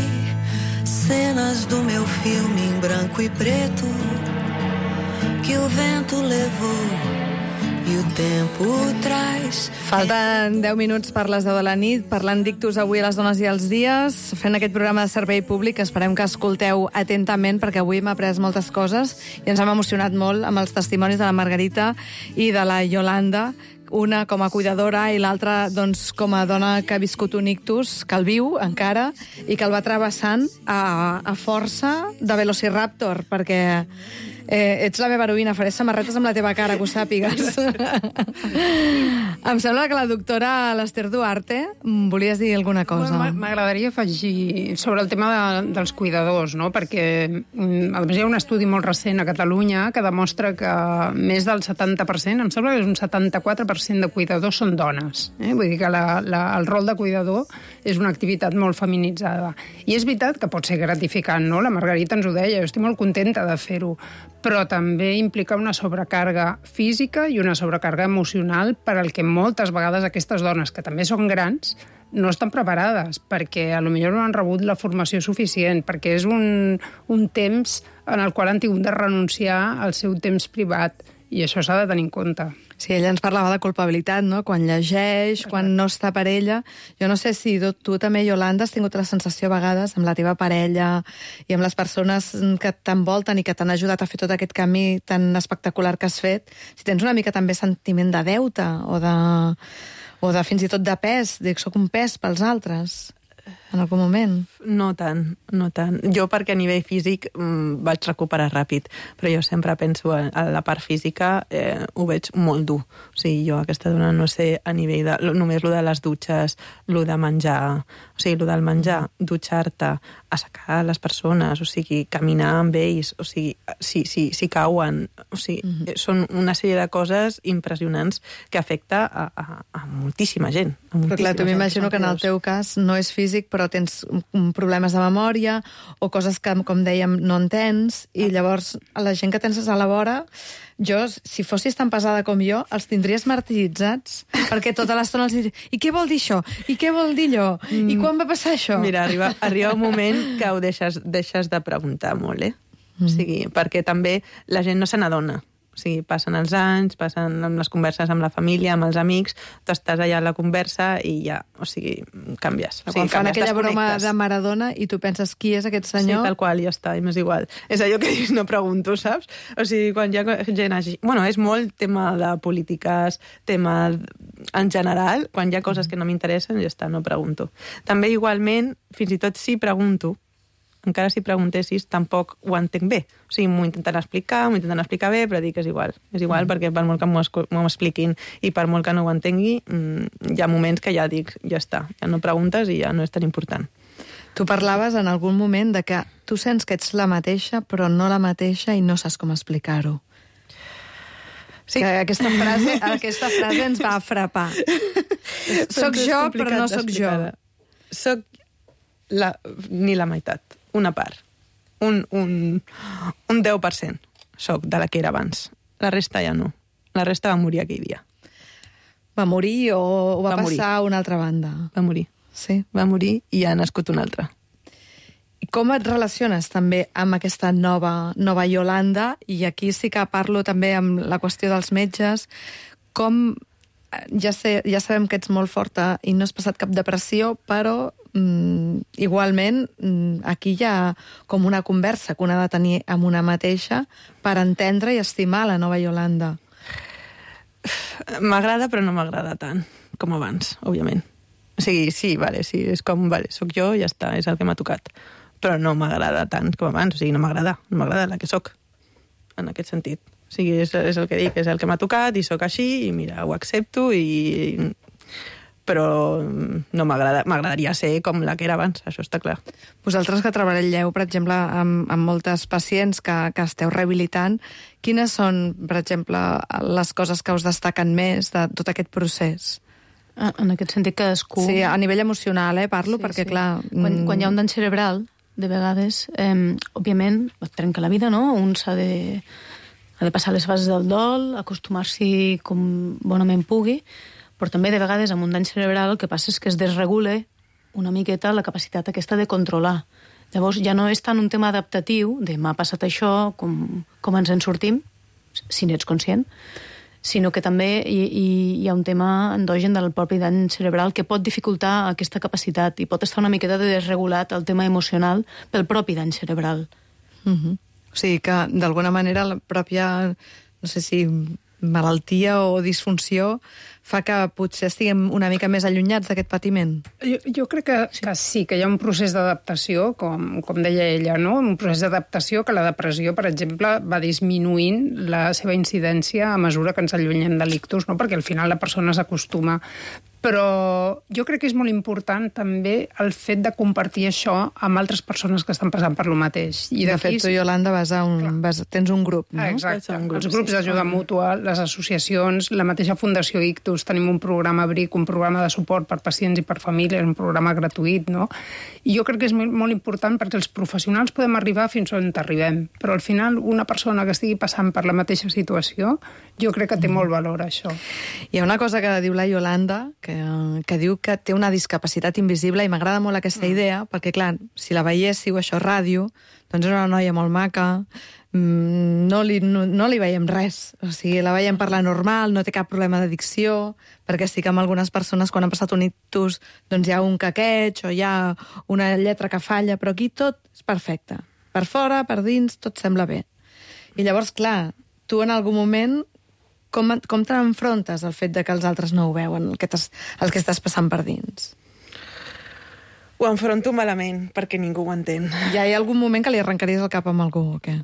cenas do meu filme em branco e preto, que o vento levou. Falten deu minuts per les deu de la nit, parlant d'ictus avui a les dones i els dies, fent aquest programa de servei públic. Esperem que escolteu atentament, perquè avui hem après moltes coses i ens hem emocionat molt amb els testimonis de la Margarita i de la Yolanda, una com a cuidadora i l'altra doncs, com a dona que ha viscut un ictus, que el viu encara, i que el va travessant a, a força de Velociraptor, perquè eh, ets la meva heroïna, faré samarretes amb la teva cara, que ho sàpigues. Em sembla que la doctora l'Ester Duarte volies dir alguna cosa. Bueno, m'agradaria afegir sobre el tema de, dels cuidadors, no? Perquè a més hi ha un estudi molt recent a Catalunya que demostra que més del setanta per cent, em sembla que és un setanta-quatre per cent de cuidadors són dones. Eh? Vull dir que la, la, el rol de cuidador és una activitat molt feminitzada. I és veritat que pot ser gratificant, no? La Margarita ens ho deia, jo estic molt contenta de fer-ho, però també implica una sobrecàrrega física i una sobrecàrrega emocional per al que moltes vegades aquestes dones, que també són grans, no estan preparades, perquè a lo millor no han rebut la formació suficient, perquè és un, un temps en el qual han tingut de renunciar al seu temps privat, i això s'ha de tenir en compte. Sí, ella ens parlava de culpabilitat, no? Quan llegeix, quan no està per ella. Jo no sé si tu, tu també, Yolanda, has tingut la sensació a vegades amb la teva parella i amb les persones que t'envolten i que t'han ajudat a fer tot aquest camí tan espectacular que has fet, si tens una mica també sentiment de deute o de, o de fins i tot de pes, dic, soc un pes pels altres en algun moment. No tant, no tant. Jo perquè a nivell físic mmm, vaig recuperar ràpid, però jo sempre penso a, a la part física, eh, ho veig molt dur. O sigui, jo aquesta dona no sé a nivell de... Només lo de les dutxes, lo de menjar, o sigui, lo del menjar, dutxar-te, assecar les persones, o sigui, caminar amb ells, o sigui, si, si, si cauen, o sigui, mm-hmm. són una sèrie de coses impressionants que afecta a, a, a moltíssima gent. A moltíssima però clar, tu m'imagino que en el teu cas no és físic, però tens problemes de memòria o coses que, com dèiem, no entens, i llavors a la gent que tens a la vora, jo, si fossis tan pesada com jo, els tindries martiritzats, perquè tota l'estona els diria, i què vol dir això? I què vol dir allò? Mm. I quan va passar això? Mira, arriba, arriba un moment que ho deixes, deixes de preguntar molt, eh? Mm. O sigui, perquè també la gent no se n'adona. O sigui, passen els anys, passen amb les converses amb la família, amb els amics, tu estàs allà a la conversa i ja, o sigui, canvies. O sigui, quan fan aquella broma de Maradona i tu penses qui és aquest senyor... Sí, tal qual, ja està, i m'és igual. És allò que dius, no pregunto, saps? O sigui, quan hi ha gent així... Bueno, és molt tema de polítiques, tema en general, quan hi ha coses que no m'interessen, ja està, no pregunto. També igualment, fins i tot si pregunto, encara si preguntessis, tampoc ho entenc bé. O sigui, m'ho intenten explicar, m'ho intenten explicar bé, però dic que és igual. És igual mm. perquè per molt que m'ho expliquin i per molt que no ho entengui, hi ha moments que ja dic, ja està, ja no preguntes i ja no és tan important. Tu parlaves en algun moment de que tu sents que ets la mateixa, però no la mateixa i no saps com explicar-ho. Sí. Que aquesta frase, aquesta frase ens va frapar. Soc Doncs és jo, complicat però no soc jo. d'explicar. Soc la, ni la meitat, una part. Un, un, un deu per cent soc de la que era abans. La resta ja no. La resta va morir aquell dia. Va morir o, o va, Va morir. passar a una altra banda? Va morir. Sí. Va morir i ha nascut una altra. I com et relaciones també amb aquesta nova, nova Iolanda? I aquí sí que parlo també amb la qüestió dels metges. Com, ja, sé, ja sabem que ets molt forta i no has passat cap depressió, però mm, igualment mm, aquí hi ha com una conversa que una ha de tenir amb una mateixa per entendre i estimar la nova Iolanda. M'agrada, però no m'agrada tant com abans, òbviament. O sigui, sí, vale, sí, és com, vale, soc jo i ja està, és el que m'ha tocat. Però no m'agrada tant com abans, o sigui, no m'agrada, no m'agrada la que soc, en aquest sentit. O sigui, és, és el que dic, és el que m'ha tocat i sóc així, i mira, ho accepto, i... però no m'agrada, m'agradaria ser com la que era abans, això està clar. Vosaltres que treballeu, per exemple, amb, amb moltes pacients que, que esteu rehabilitant, quines són, per exemple, les coses que us destaquen més de tot aquest procés? En aquest sentit, cadascú... Sí, a nivell emocional, eh, parlo, sí, perquè, sí. clar... Quan, quan hi ha un dany cerebral, de vegades, eh, òbviament, et trenca la vida, no? Un s'ha de, ha de passar les fases del dol, acostumar-s'hi com bonament pugui, però també, de vegades, amb un dany cerebral, el que passa és que es desregula una miqueta la capacitat aquesta de controlar. Llavors, ja no és tant un tema adaptatiu, de m'ha passat això, com, com ens en sortim, si n'ets conscient, sinó que també hi, hi, hi ha un tema endogen del propi dany cerebral que pot dificultar aquesta capacitat i pot estar una miqueta de desregulat el tema emocional pel propi dany cerebral. Uh-huh. O sigui que, d'alguna manera, la pròpia, no sé si malaltia o disfunció fa que potser estiguem una mica més allunyats d'aquest patiment. Jo, jo crec que sí. que sí, que hi ha un procés d'adaptació, com, com deia ella, no? Un procés d'adaptació que la depressió, per exemple, va disminuint la seva incidència a mesura que ens allunyem de l'ictus, no? Perquè al final la persona s'acostuma. Però jo crec que és molt important també el fet de compartir això amb altres persones que estan passant per lo mateix. I de fet, tu, Iolanda, vas a un, vas, tens un grup, no? Exacte. Un grup, els grups sí, d'ajuda mútua, les associacions, la mateixa Fundació Ictus, tenim un programa BRIC, un programa de suport per pacients i per famílies, un programa gratuït, no? I jo crec que és molt important perquè els professionals podem arribar fins on arribem, però al final una persona que estigui passant per la mateixa situació, jo crec que té molt valor, això. Hi ha una cosa que diu la Iolanda, que, que diu que té una discapacitat invisible, i m'agrada molt aquesta mm. idea, perquè, clar, si la veiéssiu, això, ràdio, doncs és una noia molt maca, no li, no, no li veiem res. O sigui, la veiem parlar normal, no té cap problema d'addicció, perquè sí que amb algunes persones, quan han passat un ictus, doncs hi ha un caqueig o hi ha una lletra que falla, però aquí tot és perfecte. Per fora, per dins, tot sembla bé. I llavors, clar, tu en algun moment com, com t'enfrontes al fet de que els altres no ho veuen, el que, el que estàs passant per dins? Ho enfronto malament, perquè ningú ho entén. Ja hi ha algun moment que li arrencaries el cap amb algú, o què?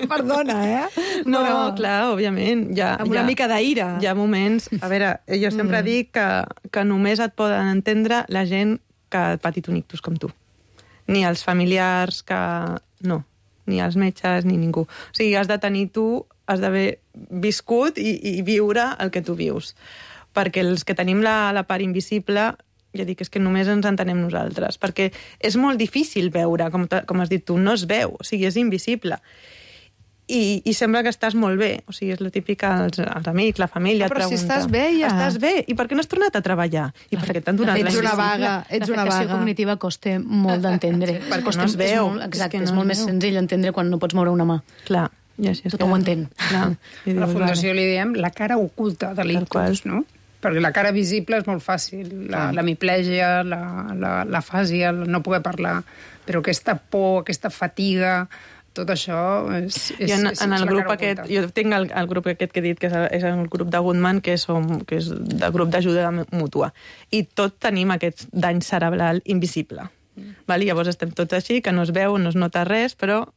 Perdona, eh? No, Però... clar, òbviament. Ja, amb una ja, mica d'aire. Hi ha moments... A veure, jo sempre mm. dic que, que només et poden entendre la gent que ha patit un ictus com tu. Ni els familiars que... No, ni els metges, ni ningú. O sigui, has de tenir tu, has d'haver viscut i, i viure el que tu vius. Perquè els que tenim la, la part invisible... Ja dic, és que només ens entenem nosaltres, perquè és molt difícil veure, com, com has dit tu, no es veu, o sigui, és invisible. I, i sembla que estàs molt bé, o sigui, és la típica, els, els amics, la família, ah, però et pregunta... si estàs bé, ja. Estàs bé, i per què no has tornat a treballar? I per què t'han donat ets la una vaga, ets una vaga. cognitiva costa molt d'entendre. Sí, perquè no es veu. És molt, exacte, és, és, no és molt més senzill entendre quan no pots moure una mà. Clar. Ja, sí, tothom ho entén. Clar. A la Fundació li diem la cara oculta de l'ictus, no? Perquè la cara visible és molt fàcil, la, la miplègia, la, la, la fàsia, el no poder parlar, però aquesta por, aquesta fatiga, tot això és, és, en, és, en el és la grup cara aquest, oculta. jo tinc el, el grup aquest que he dit, que és el, és el grup de Goodman, que, som, que és de grup d'ajuda mútua, i tot tenim aquest dany cerebral invisible. Mm. Val? Llavors estem tots així, que no es veu, no es nota res, però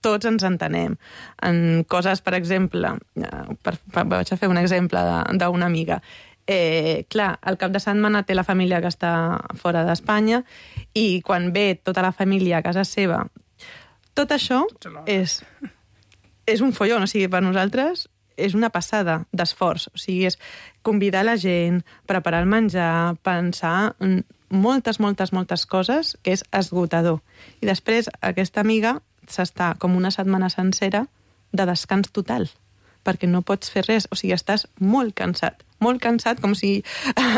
tots ens entenem. En coses, per exemple, per, per, vaig a fer un exemple d'una amiga. Eh, clar, al cap de setmana té la família que està fora d'Espanya i quan ve tota la família a casa seva, tot això és, és un follon, o sigui, per nosaltres és una passada d'esforç. O sigui, és convidar la gent, preparar el menjar, pensar en moltes, moltes, moltes coses, que és esgotador. I després aquesta amiga s'està com una setmana sencera de descans total, perquè no pots fer res. O sigui, estàs molt cansat. Molt cansat, com si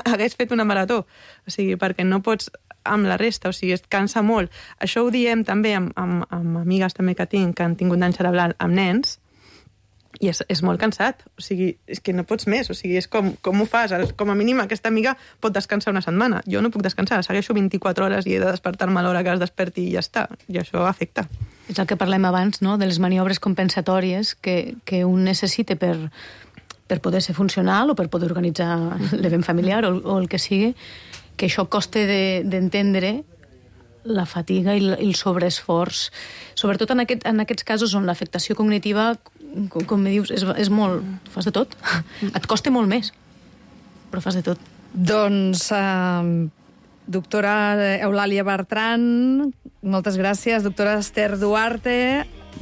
hagués fet una marató. O sigui, perquè no pots amb la resta, o sigui, es cansa molt. Això ho diem també amb, amb, amb amigues també que tinc, que han tingut dany cerebral amb nens, i és, és molt cansat. O sigui, és que no pots més. O sigui, és com, com ho fas? Com a mínim, aquesta amiga pot descansar una setmana. Jo no puc descansar. Segueixo vint-i-quatre hores i he de despertar-me a l'hora que es desperti i ja està. I això afecta. És el que parlem abans, no?, de les maniobres compensatòries que, que un necessita per, per poder ser funcional o per poder organitzar l'event familiar o, o el que sigui, que això costa d'entendre de, la fatiga i el sobreesforç, sobretot en, aquest, en aquests casos on l'afectació cognitiva, com, com dius, és, és molt... Fas de tot. Et costa molt més, però fas de tot. Doncs, eh, doctora Eulàlia Bertran, moltes gràcies. Doctora Esther Duarte,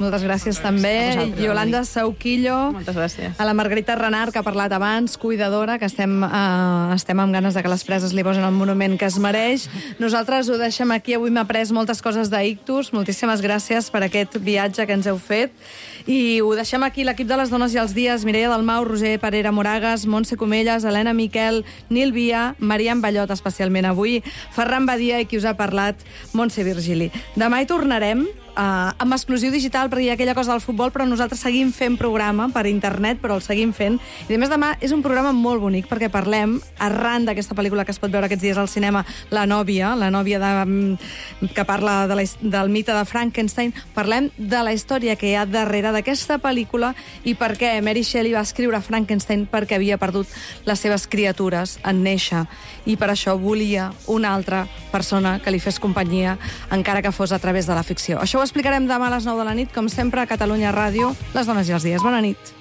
moltes gràcies també. Yolanda Sauquillo. Moltes gràcies. A la Margarita Renard, que ha parlat abans, cuidadora, que estem, eh, estem amb ganes de que les preses li posen el monument que es mereix. Nosaltres ho deixem aquí. Avui m'ha après moltes coses d'ictus. Moltíssimes gràcies per aquest viatge que ens heu fet. I ho deixem aquí, l'equip de les dones i els dies: Mireia Dalmau, Roger Parera Moragas, Montse Comelles, Helena Miquel, Nil Via, Marian Ballot, especialment avui, Ferran Badia i qui us ha parlat, Montse Virgili. Demà hi tornarem, Uh, amb exclusiu digital, perquè hi ha aquella cosa del futbol, però nosaltres seguim fent programa per internet, però el seguim fent. I a més, demà és un programa molt bonic, perquè parlem, arran d'aquesta pel·lícula que es pot veure aquests dies al cinema, La nòvia, la nòvia de, que parla de la, del mite de Frankenstein, parlem de la història que hi ha darrere d'aquesta pel·lícula i per què Mary Shelley va escriure Frankenstein, perquè havia perdut les seves criatures en néixer, i per això volia una altra persona que li fes companyia, encara que fos a través de la ficció. Això ho explicarem demà a les nou de la nit, com sempre, a Catalunya Ràdio, les dones i els dies. Bona nit.